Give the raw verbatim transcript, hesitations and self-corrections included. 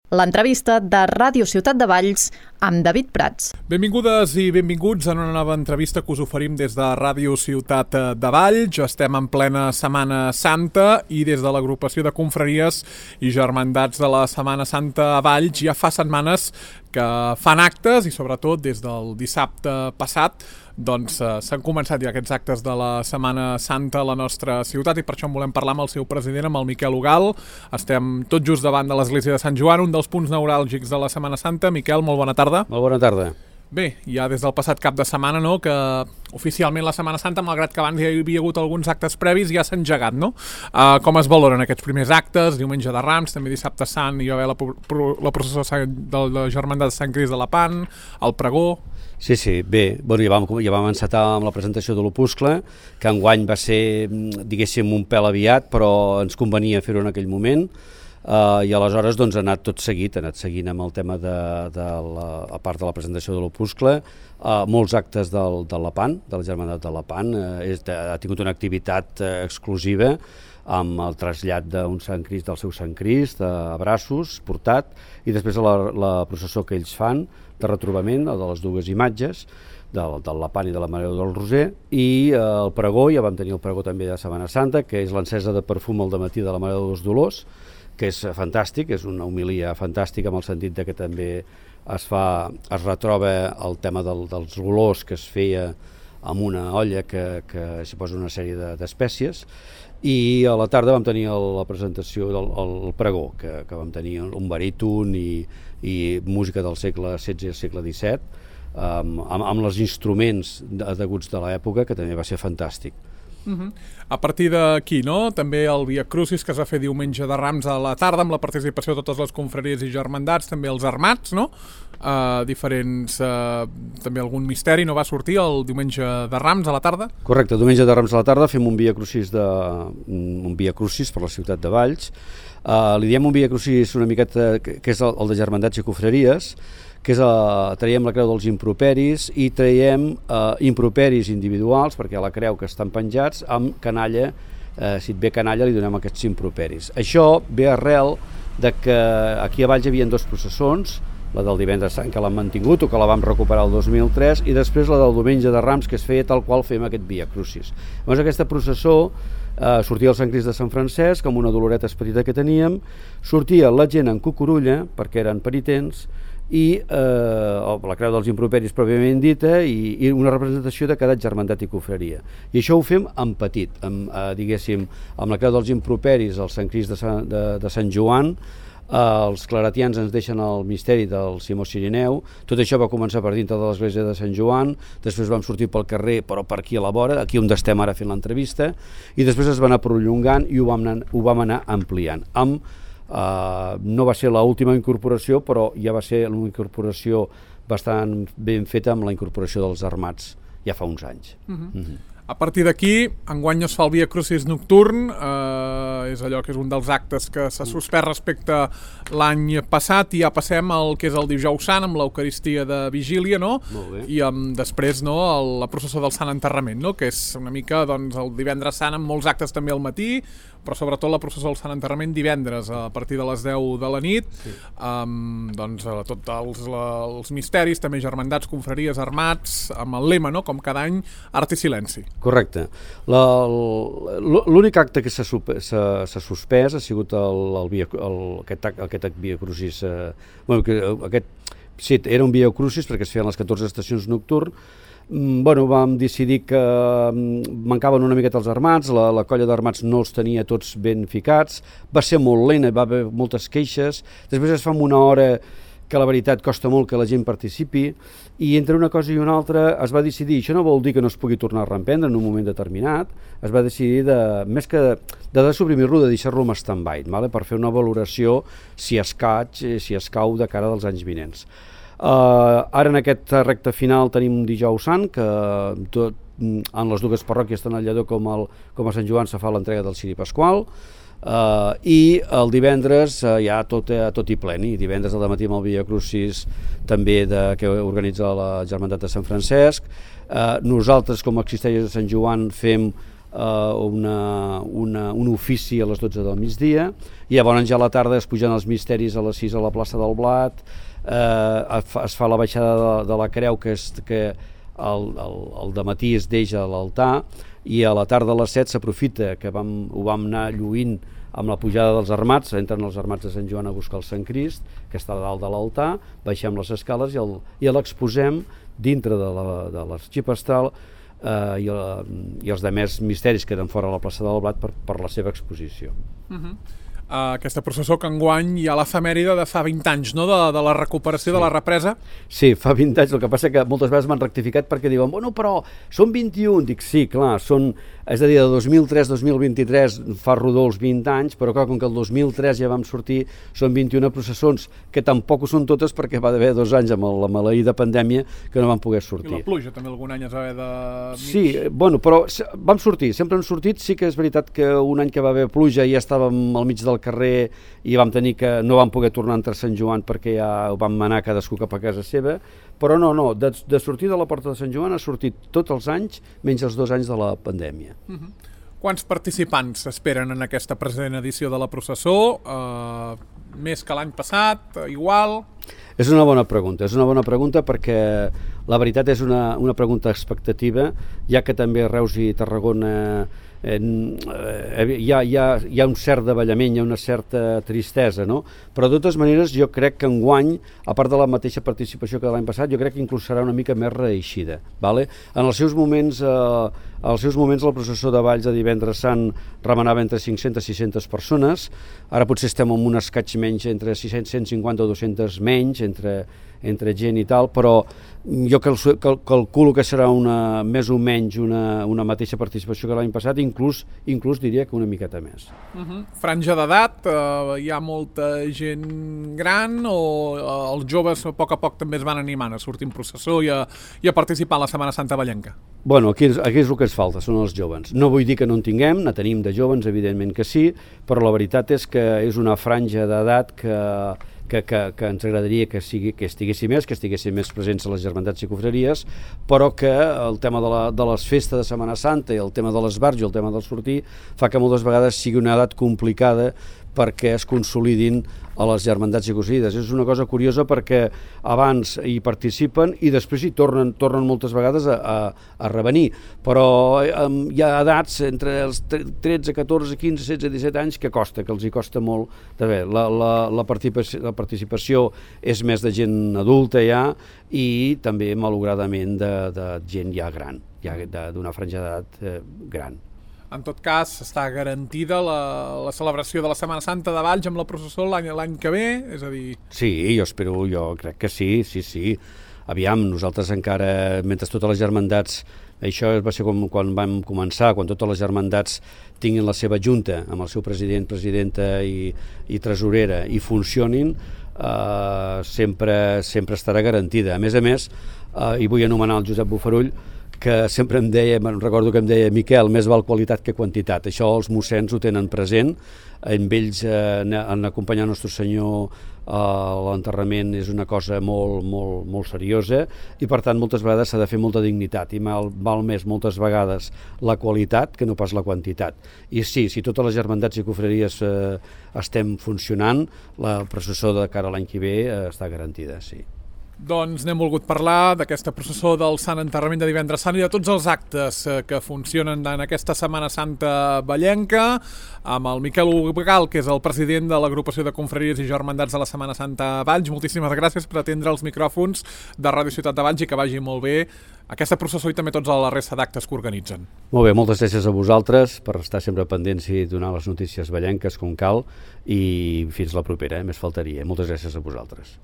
L'entrevista de Ràdio Ciutat de Valls amb David Prats. Benvingudes i benvinguts en una nova entrevista que us oferim des de Ràdio Ciutat de Valls. Estem en plena Setmana Santa i des de l'agrupació de confraries i germandats de la Setmana Santa a Valls ja fa setmanes que fan actes i sobretot des del dissabte passat doncs eh, s'han començat ja aquests actes de la Setmana Santa a la nostra ciutat i per això en volem parlar amb el seu president, amb el Miquel Ugal. Estem tot just davant de l'església de Sant Joan, un dels punts neuràlgics de la Setmana Santa. Miquel, molt bona tarda. Molt bona tarda. Bé, ja des del passat cap de setmana, no?, que oficialment la Setmana Santa, malgrat que abans hi havia hagut alguns actes previs, ja s'ha engegat, no? Uh, com es valoren aquests primers actes? Diumenge de Rams, també dissabte Sant, hi va haver la, la processó de la Germandat de Sant Crist de Lepant, el pregó... Sí, sí, bé, bueno, ja, vam, ja vam encetar amb la presentació de l'Opuscle, que enguany va ser, diguéssim, un pèl aviat, però ens convenia fer-ho en aquell moment, uh, i aleshores doncs, ha anat tot seguit, ha anat seguint amb el tema de, de la, a part de la presentació de l'Opuscle, uh, molts actes del, de Lepant, de la Germandat de Lepant, uh, és, ha tingut una activitat uh, exclusiva, amb el trasllat d'un Sant Crist, del seu Sant Crist, a braços, portat, i després la, la processó que ells fan, de retrobament, de les dues imatges, del, del Lepant i de la Mare del Roser, i eh, el pregó, ja vam tenir el pregó també de Setmana Santa, que és l'encesa de perfum al dematí de la Mare dels Dolors, que és fantàstic, és una homilia fantàstica en el sentit de que també es fa, es retroba el tema del, dels olors que es feia amb una olla que, que s'hi posa una sèrie d'espècies, i a la tarda vam tenir el, la presentació del el pregó, que, que vam tenir un baríton i, i música del segle setze i segle disset, um, amb, amb els instruments adeguts de l'època, que també va ser fantàstic. Uh-huh. A partir d'aquí, no?, també el Via Crucis, que es va fer diumenge de Rams a la tarda, amb la participació de totes les confraries i germandats, també els armats, no?, uh, diferents, uh, també algun misteri no va sortir el diumenge de Rams a la tarda? Correcte, diumenge de Rams a la tarda fem un Via Crucis, de, un Via Crucis per la ciutat de Valls. Uh, li diem un Via Crucis una miqueta, que, que és el, el de germandats i confraries, que és a, traiem la creu dels improperis i traiem eh, improperis individuals, perquè la creu que estan penjats, amb canalla, eh, si et ve canalla li donem aquests improperis. Això ve arrel de que aquí a Valls hi havia dos processons, la del divendres Sant, que l'han mantingut o que la vam recuperar el dos mil tres, i després la del diumenge de Rams, que es feia tal qual fem aquest Via Crucis. Llavors aquesta processó eh, sortia el Sant Crist de Sant Francesc, amb una doloreta petita que teníem, sortia la gent en cucurulla, perquè eren penitents, i eh, la creu dels improperis pròpiament dita i, i una representació de cada germandat i confraria. I això ho fem en petit, amb, eh, diguéssim, amb la creu dels improperis, el Sant Crist de, Sant, de, de Sant Joan, eh, els claretians ens deixen el misteri del Simó Cirineu, tot això va començar per dintre de l'església de Sant Joan, després vam sortir pel carrer, però per aquí a la vora, aquí on estem ara fent l'entrevista, i després es va anar prolongant i ho vam anar, ho vam anar ampliant, amb Uh, no va ser l'última incorporació, però ja va ser una incorporació bastant ben feta amb la incorporació dels armats ja fa uns anys. Uh-huh. Uh-huh. A partir d'aquí, enguany es fa el Via Crucis nocturn, eh, és allò que és un dels actes que s'ha suspès respecte l'any passat, i ja passem al que és el Dijous Sant, amb l'Eucaristia de Vigília, no? I amb, després, no, el, la processó del Sant Enterrament, no?, que és una mica doncs, el divendres Sant amb molts actes també al matí, però sobretot la processó del Sant Enterrament divendres a partir de les deu de la nit, sí. amb doncs, tots els, els misteris, també germandats, confraries, armats, amb el lema, no?, com cada any, art i silenci. Correcte. L'únic acte que s'ha suspès ha sigut el, el via, el, aquest, aquest Via Crucis. Eh, bueno, que, aquest, sí, era un Via Crucis perquè es feien les catorze estacions nocturn. Mm, bueno, vam decidir que mancaven una miqueta els armats, la, la colla d'armats no els tenia tots ben ficats, va ser molt lent, va haver moltes queixes, després es fa en una hora que la veritat costa molt que la gent participi, i entre una cosa i una altra es va decidir, això no vol dir que no es pugui tornar a reemprendre en un moment determinat, es va decidir, de, més que de, de desuprimir-lo, de deixar-lo en stand-by, vale? Per fer una valoració si es caig, si es cau de cara dels anys vinents. Uh, ara en aquest recte final tenim un Dijous Sant, que tot, en les dues parròquies, tant al Lledó com, el, com a Sant Joan, se fa l'entrega del Ciri Pasqual, Uh, i el divendres uh, ja tot, uh, tot i pleni, divendres al dematí amb el Via Crucis també de, que organitza la Germandat de Sant Francesc. Uh, nosaltres com a Existèries de Sant Joan fem una, una, un ofici a les dotze del migdia, i llavors ja a la tarda es pugen els misteris a les sis a la plaça del Blat, eh, es fa la baixada de, de la creu, que, és, que el, el, el dematí es deixa a l'altar, i a la tarda a les set s'aprofita, que vam, ho vam anar lluint amb la pujada dels armats, entren els armats de Sant Joan a buscar el Sant Crist, que està dalt de l'altar, baixem les escales i, el, i l'exposem dintre de l'arxip astral, eh, i, i els demés misteris queden fora a la plaça del Blat per, per la seva exposició. Uh-huh. Uh, aquesta processó que enguany hi ha l'efemèride de fa vint anys, no?, de, de la recuperació, sí, de la represa. Sí, fa vint anys, el que passa que moltes vegades m'han rectificat perquè diuen, bueno, però són vint-i-un, dic, sí, clar, són, és a dir, de dos mil tres a dos mil vint-i-tres fa rodó els vint anys, però clar, com que el dos mil tres ja vam sortir, són vint-i-una processons, que tampoc ho són totes perquè va haver dos anys amb la maleïda pandèmia que no van poder sortir. I la pluja també algun any es va haver de... Sí, bueno, però vam sortir, sempre hem sortit, sí que és veritat que un any que va haver pluja ja estàvem al mig del carrer i vam tenir que no vam poder tornar entre Sant Joan perquè ja ho vam anar cadascú cap a casa seva, però no, no, de, de sortir de la porta de Sant Joan ha sortit tots els anys menys els dos anys de la pandèmia. Uh-huh. Quants participants s'esperen en aquesta present edició de la processó? Uh, més que l'any passat? Igual? És una bona pregunta, és una bona pregunta perquè la veritat és una, una pregunta expectativa, ja que també Reus i Tarragona eh, hi, ha, hi, ha, hi ha un cert davallament, hi ha una certa tristesa, no? Però de totes maneres jo crec que enguany, a part de la mateixa participació que l'any passat, jo crec que inclús serà una mica més reeixida. Vale? En els seus moments, eh, als seus moments la processó de Valls de divendres sant remenava entre cinc-centes i sis-centes persones, ara potser estem en un escaig menys, entre sis-cents, cent cinquanta o dos-centes menys, entre, entre gent i tal, però jo cal, cal, calculo que serà una, més o menys una, una mateixa participació que l'any passat, inclús, inclús diria que una miqueta més. Uh-huh. Franja d'edat, uh, hi ha molta gent gran o uh, els joves a poc a poc també es van animant a sortir en processó i a, i a participar a la Setmana Santa vallenca? Bueno, aquí, aquí és el que ens falta, són els joves. No vull dir que no en tinguem, ne tenim de joves, evidentment que sí, però la veritat és que és una franja d'edat que Que, que, que ens agradaria que, sigui, que estiguessin més, que estiguessin més presents a les germandats i confraries, però que el tema de, la, de les festes de Setmana Santa i el tema de l'esbarjo i el tema del sortir fa que moltes vegades sigui una edat complicada perquè es consolidin a les germandats i confraries. És una cosa curiosa perquè abans hi participen i després hi tornen, tornen moltes vegades a, a, a revenir, però um, hi ha edats entre els tretze, catorze, quinze, setze, disset anys que costa, que els hi costa molt de bé. La, la, la, participació, la participació és més de gent adulta ja i també malauradament de, de gent ja gran, ja d'una franja d'edat eh, gran. En tot cas, està garantida la, la celebració de la Setmana Santa de Valls amb la processó l'any l'any que ve? És a dir... Sí, jo espero, jo crec que sí, sí, sí. Aviam, nosaltres encara, mentre totes les germandats, això va ser com quan vam començar, quan totes les germandats tinguin la seva junta, amb el seu president, presidenta i, i tresorera, i funcionin, eh, sempre, sempre estarà garantida. A més a més, eh, i vull anomenar el Josep Bofarull, que sempre em deia, me'n recordo que em deia Miquel, més val qualitat que quantitat. Això els mossens ho tenen present, amb ells eh, en acompanyar Nostre Senyor a l'enterrament és una cosa molt, molt, molt seriosa i per tant moltes vegades s'ha de fer molta dignitat i mal, val més moltes vegades la qualitat que no pas la quantitat. I sí, si totes les germandats i confraries eh, estem funcionant, la processó de cara a l'any que ve eh, està garantida, sí. Doncs n'hem volgut parlar d'aquesta processó del Sant Enterrament de divendres sant i de tots els actes que funcionen en aquesta Setmana Santa vallenca, amb el Miquel Ugal, que és el president de l'agrupació de confraries i germandats de la Setmana Santa Valls. Moltíssimes gràcies per atendre els micròfons de Ràdio Ciutat de Valls i que vagi molt bé aquesta processó i també tots la resta d'actes que organitzen. Molt bé, moltes gràcies a vosaltres per estar sempre pendents i donar les notícies vallenques com cal i fins la propera, eh? Més faltaria. Moltes gràcies a vosaltres.